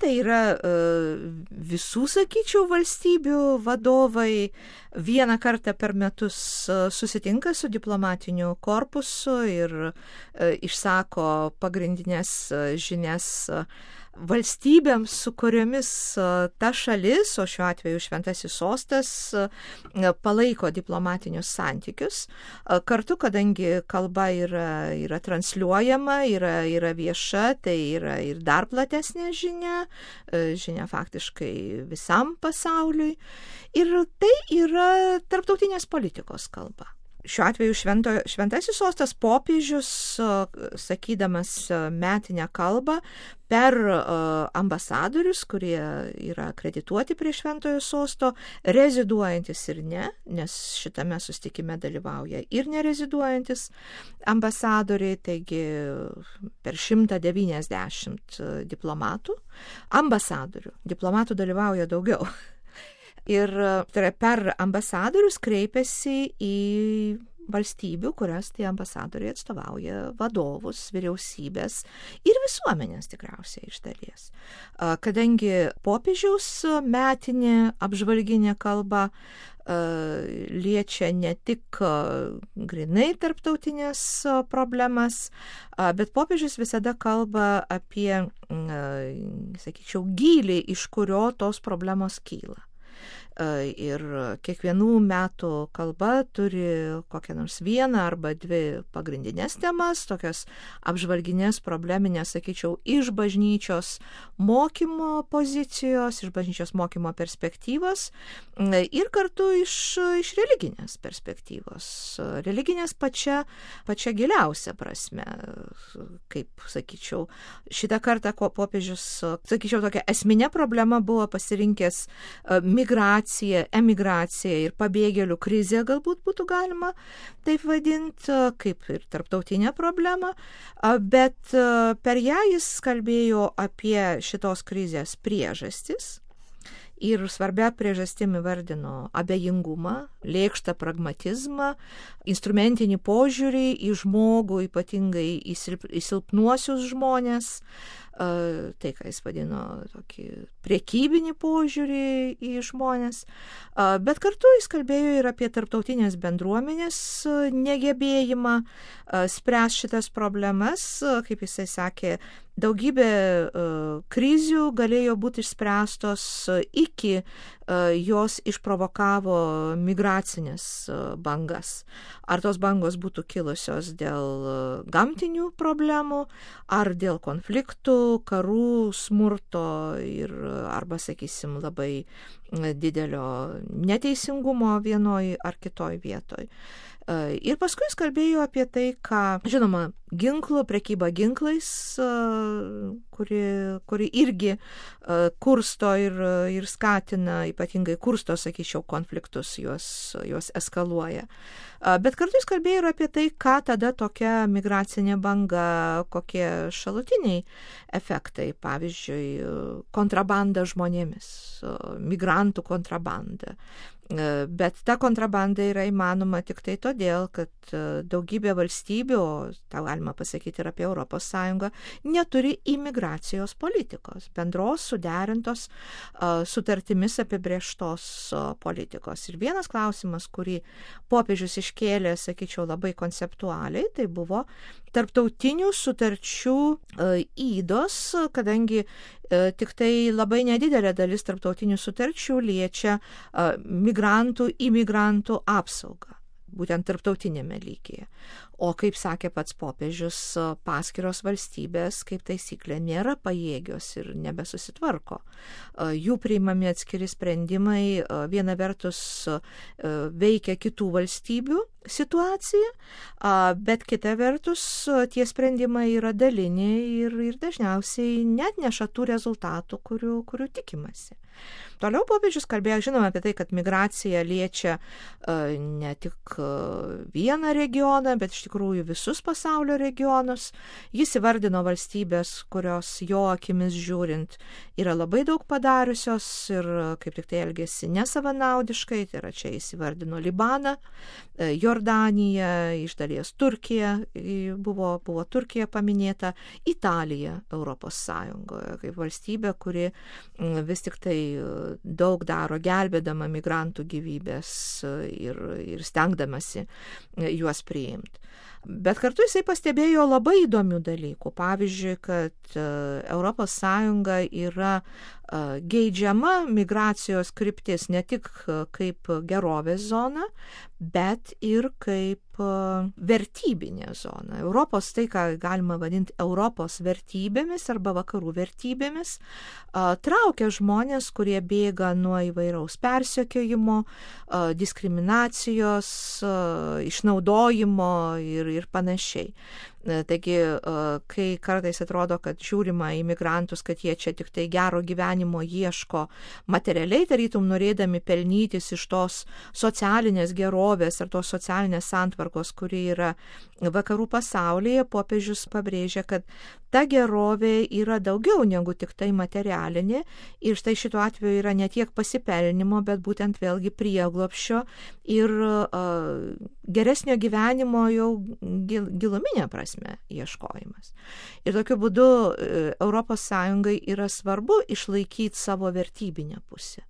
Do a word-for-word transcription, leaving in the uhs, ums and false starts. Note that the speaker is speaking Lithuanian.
tai yra visų, sakyčiau, valstybių vadovai vieną kartą per metus susitinka su diplomatiniu korpusu ir išsako pagrindinės žinias valstybėms, su kuriomis ta šalis, o šiuo atveju Šventasis sostas, palaiko diplomatinius santykius. Kartu, kadangi kalba yra, yra transliuojama, yra, yra vieša, tai yra ir dar platesnė žinia, žinia faktiškai visam pasauliui. Ir tai yra tarptautinės politikos kalba. Šiuo atveju švento, Šventasis sostas popiežius, sakydamas metinę kalbą, per ambasadorius, kurie yra akredituoti prie Šventojo sosto, reziduojantis ir ne, nes šitame susitikime dalyvauja ir nereziduojantis ambasadoriai, taigi per šimtą devyniasdešimt diplomatų, ambasadorių, diplomatų dalyvauja daugiau. Ir tai per ambasadorius kreipiasi į valstybių, kurias tie ambasadoriai atstovauja, vadovus, vyriausybės ir visuomenės tikriausiai iš dalies. Kadangi popiežiaus metinė apžvalginė kalba liečia ne tik grinai tarptautinės problemas, bet popiežius visada kalba apie, sakyčiau, gylį, iš kurio tos problemos kyla. Ir kiekvienų metų kalba turi kokią nors vieną arba dvi pagrindinės temas, tokias apžvalginės, probleminės, sakyčiau, iš bažnyčios mokymo pozicijos, iš bažnyčios mokymo perspektyvos ir kartu iš, iš religinės perspektyvos. Religinės pačia, pačia giliausia prasme, kaip, sakyčiau, šitą kartą popiežius, sakyčiau, tokia esminė problema buvo pasirinkęs migraciją, emigracija ir pabėgėlių krizė, galbūt būtų galima taip vadinti, kaip ir tarptautinė problema, bet per ją jis kalbėjo apie šitos krizės priežastis ir svarbia priežastim įvardino abejingumą, lėkštą pragmatizmą, instrumentinį požiūrį į žmogų, ypatingai į, silp, į silpnuosius žmonės, tai, ką jis vadino tokį priekybinį požiūrį į žmonės, bet kartu jis kalbėjo ir apie tarptautinės bendruomenės negebėjimą spręs šitas problemas, kaip jisai sakė, daugybė krizių galėjo būti išspręstos iki jos išprovokavo migracinės bangas. Ar tos bangos būtų kilusios dėl gamtinių problemų, ar dėl konfliktų, karų, smurto ir arba, sakysim, labai didelio neteisingumo vienoj ar kitoj vietoj. Ir paskui jis kalbėjo apie tai, ką, žinoma, ginklų, prekyba ginklais, kuri, kuri irgi kursto ir, ir skatina, ypatingai kursto, sakyčiau, konfliktus, juos, juos eskaluoja. Bet kartu jis kalbėjo ir apie tai, ką tada tokia migracinė banga, kokie šalutiniai efektai, pavyzdžiui, kontrabanda žmonėmis, migrantų kontrabanda. Bet ta kontrabanda yra įmanoma tik tai todėl, kad daugybė valstybių, o tą galima pasakyti ir apie Europos Sąjungą, neturi imigracijos politikos, bendros suderintos sutartimis apibrėžtos politikos. Ir vienas klausimas, kurį popiežius iškėlė, sakyčiau, labai konceptualiai, tai buvo tarptautinių sutarčių įdos, kadangi tik tai labai nedidelė dalis tarptautinių sutarčių liečia migrantų, imigrantų apsaugą, būtent tarptautinėme lygyje. O kaip sakė pats popiežius, paskiros valstybės, kaip taisyklė, nėra pajėgios ir nebesusitvarko. Jų priimami atskiri sprendimai viena vertus veikia kitų valstybių situaciją, bet kita vertus tie sprendimai yra daliniai ir, ir dažniausiai net neša tų rezultatų, kurių, kurių tikimasi. Toliau popiežius kalbėjo, žinoma, apie tai, kad migracija liečia ne tik vieną regioną, bet iš iš tikrųjų visus pasaulio regionus. Jis įvardino valstybės, kurios jo akimis žiūrint yra labai daug padariusios ir kaip tik tai elgėsi nesavanaudiškai, tai yra čia jis įvardino Libaną, Jordaniją, iš dalies Turkiją, buvo, buvo Turkija paminėta, Italija Europos Sąjungoje kaip valstybė, kuri vis tik tai daug daro gelbėdama migrantų gyvybės ir, ir stengdamasi juos priimti. Bet kartu jisai pastebėjo labai įdomių dalykų. Pavyzdžiui, kad Europos Sąjunga yra geidžiama migracijos kryptis ne tik kaip gerovės zona, bet ir kaip vertybinė zona. Europos, tai ką galima vadinti Europos vertybėmis arba vakarų vertybėmis, traukia žmonės, kurie bėga nuo įvairaus persekiojimo, diskriminacijos, išnaudojimo ir, ir panašiai. Taigi, kai kartais atrodo, kad žiūrima į migrantus, kad jie čia tik tai gero gyvenimo ieško materialiai, tarytum norėdami pelnytis iš tos socialinės gerovės ar tos socialinės santvarkos, kuri yra vakarų pasaulyje, popiežius pabrėžia, kad ta gerovė yra daugiau negu tik tai materialinė ir štai šituo atveju yra ne tiek pasipelnimo, bet būtent vėlgi prieglobsčio ir uh, geresnio gyvenimo jau gil, giluminė prasme ieškojimas. Ir tokiu būdu Europos Sąjungai yra svarbu išlaikyti savo vertybinę pusę.